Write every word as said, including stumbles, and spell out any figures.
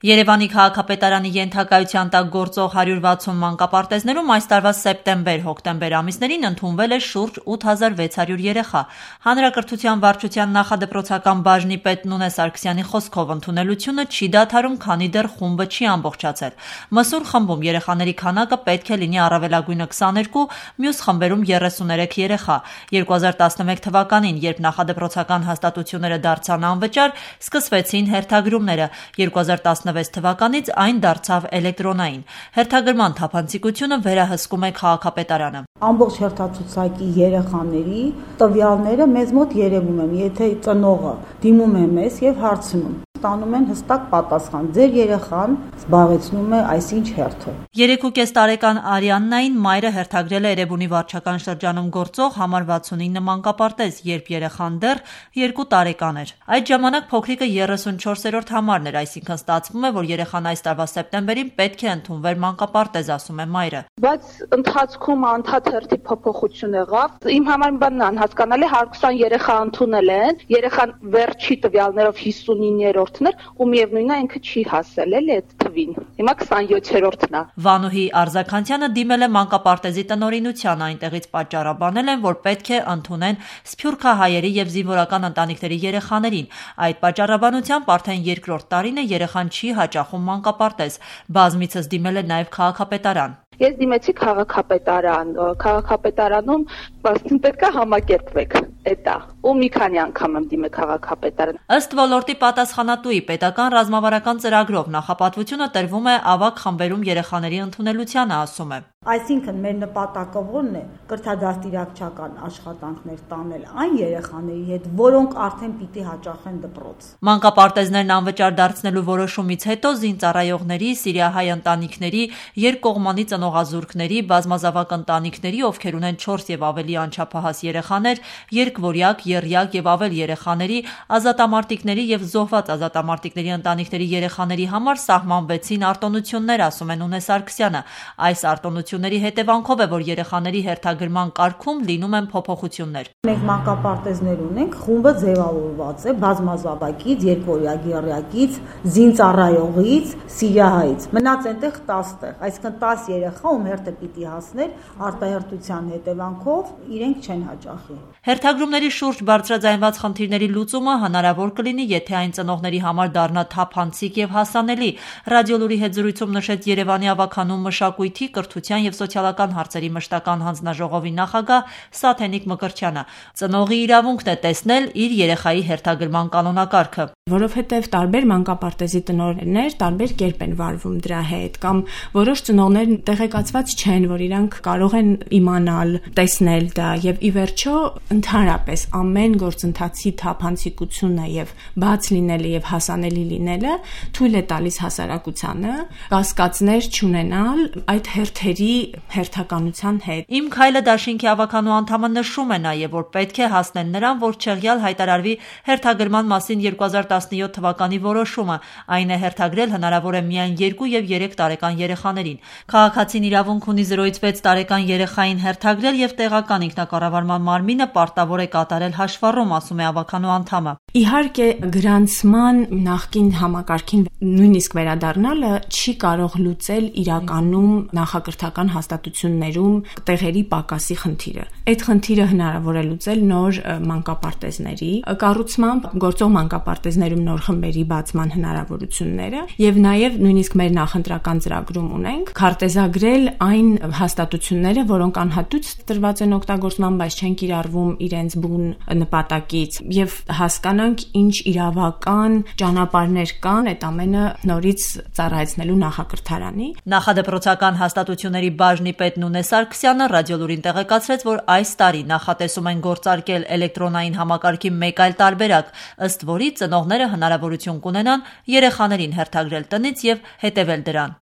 Երևանի քաղաքապետարանի ենթակայության տակ գործող հարյուր վաթսուն մանկապարտեզներում այս տարվա սեպտեմբեր-հոկտեմբեր ամիսներին ընդունվել է շուրջ ութ հազար վեց հարյուր երեխա։ Հանրակրթության վարչության նախադպրոցական բաժնի պետ Նունե Սարգսյանի խոսքով ընդունելությունը չի դադարում, քանի դեռ խումբը չի ամբողջացել։ Մսուր խմբում երեխաների քանակը պետք է լինի առավելագույնը քսաներկու, մյուս խմբերում երեսուներեք երեխա։ երկու հազար տասնմեկ թվականին, երբ նախադպրոցական հաստատությունները դարձան անվճար, սկսվեցին հերթագրումները։ երկու հազար տասնվեց թվականից այն դարձավ էլեկտրոնային։ Հերթագրման թափանցիկությունը վերահսկում է քաղաքապետարանը։ Ամբողջ հերթացուցակի երեխաների տվյալները մեզ մոտ երևում են, եթե ծնողը դիմում է մեզ եւ հարցնում, ստանում են հստակ պատասխան. ձեր երեխան զբաղեցնում է այսինչ հերթը։ Երեք ու կես տարեկան Արիաննային մայրը հերթագրել է Էրեբունի վարչական շրջանում գործող համար վաթսունինը մանկապարտեզ, երբ երեխան դեռ երկու տարեկան էր։ Այդ ժամանակ փոքրիկը երեսունչորսերորդ համարն էր, այսինքն ստացվում է, որ երեխան այս տարվա սեպտեմբերին պետք է ընդունվեր մանկապարտեզ, ասում է մայրը։ Բայց ընթացքում անդադ հերթի փոփոխություն եղավ։ Իմ համար բանն անհասկանալի, հարյուր քսան երեխա ընդունել են, երեխան վերջի տվյալներով հիսունիններորդն էր, ու միևնույնն է ինքը չի հասել էլի այդ թվին։ Հիմա քսաներկուերորդն է։ Վանուհի Արզականցյանը դիմել է մանկապարտեզի տնօրինության, այնտեղից պատճառաբանել են, որ պետք է ընդունեն սփյուռքահայերի եւ զինվորական ընտանիքների երեխաներին։ Այդ պատճառաբանությամբ արդեն երկրորդ տարին է երեխան չի հաճախում մանկապարտեզ։ Բազմիցս դիմել է նաև քաղաքապետարան։ Ես դիմեցի քաղաքապետարան, քաղաքապետարանում պետք է համակերպվեք, էտա, ու մի քանի անգամ եմ դիմել քաղաքապետարան։ Ըստ ոլորտի պատասխանատուի, պետական ռազմավարական ծրագրով նախապատվությունը տրվում է ավագ խմբերում երեխաների ընդունելությանը, ասում է։ Այսինքն մեր նպատակը ո՞րն է՝ կրթադաստիարակչական աշխատանքներ տանել այն երեխաների հետ, որոնք արդեն պիտի հաճախեն դպրոց։ Մանկապարտեզներն անվճար դարձնելու որոշումից հետո զինծառայողների, սիրիահայ ընտանիքների, երկկողմանի ծնողազուրկների, բազմազավակ ընտանիքների, ովքեր ունեն չորս եւ ավելի անչափահաս երեխաներ, երկվորյակ, եռյակ եւ ավել երեխաների, ազատամարտիկների եւ զոհված ազատամարտիկների ընտանիքների երեխաների համար սահմանվեցին արտոնություններ, ասում է Նունե Սարգսյանը։ Այս արտոնությունների հետևանքով է, որ երեխաների հերթագրման կարգում լինում են փոփոխություններ։ Մենք մանկապարտեզներ ունենք, խումբը ձևավորված է բազմազավակից, երկվորյակ, եռյակից, զինծառայողից, սիրիահայից։ Մնաց այնտեղ տասը տեղ, այսինքն տասը երեխա, ում հերթը պիտի հասներ, արտահերթության հետևանքով իրենք չեն հաճախի։ Հերթագրումների շուրջ բարձրաձայնված խնդիրների լուծումը հնարավոր կլինի, եթե այն ծնողների համար դառնա թափանցիկ եւ հասանելի։ Ռադիոլուրի հետ զրույցում նշեց Երևանի ավագանու մշակույթի, կրթության եւ սոցիալական հարցերի մշտական հանձնաժողովի նախագահ Սաթենիկ Մկրտչյանը։ Ծնողի իրավունքն է տեսնել իր երեխայի հերթագրման կանոնակարգը։ Որովհետև տարբեր մանկապարտեզի տնօրեններ տարբեր կերպ են վարվում դրա հետ, կամ որոշ ծնողներ տեղեկացված չեն, որ իրանք կարող են իմանալ, տեսնել դա, եւ ի վերջո ընդհանրապես ամեն գործընթացի թափանցիկությունը եւ բաց լինելը եւ հասանելի լինելը թույլ է տալիս հասարակությանը կասկածներ չունենալ այդ հերթերի հերթականության հետ։ Իմ քայլը դաշինքի ավականու անդամը նշում է նաեւ, որ պետք է հասնել նրան, որ չեղյալ հայտարարվի հերթագրման մասին երկու հազար տասնյոթ թվականի որոշումը, այն է հերթագրել հնարավոր է միայն երկու եւ երեք տարեկան երեխաներին։ Քաղաքացին իրավունք ունի զրոյից վեց տարեկան երեխային հերթագրել եւ տեղական ինքնակառավարման մարմինը պարտավոր է կատարել հաշվառում, ասում է ավականու անդամը։ Իհարկե գրանցման նախկին համակարգին նույնիսկ վերադառնալը չի կարող լուծել իրականում նախակրթական հաստատություններում տեղերի պակասի խնդիրը։ Այդ խնդիրը հնարավոր է լուծել նոր մանկապարտեզների կառուցմամբ, գործող մանկապարտեզներում նոր խմբերի բացման հնարավորությունները եւ նաեւ նույնիսկ մեր նախընտրական ծրագրում ունենք քարտեզագրել այն հաստատությունները, որոնք անհատույց տրված են օգտագործման, բայց չեն կիրառվում իրենց բուն նպատակից եւ հասկանանք ինչ իրավական ճանապարհներ կան այդ ամենը նորից ծառայեցնելու նախակրթարանի։ Նախադպրոցական հաստատությունների բաժնի պետ Նունե Սարգսյանը ռադիոլուրին տեղեկացրեց, որ այս տարի նախատեսում են գործարկել էլեկտրոնային համակարգի մեկ այլ տարբերակ, ըստ որի ծնողները հնարավորություն կունենան երեխաներին հերթագրել տնից եւ հետեւել դրան։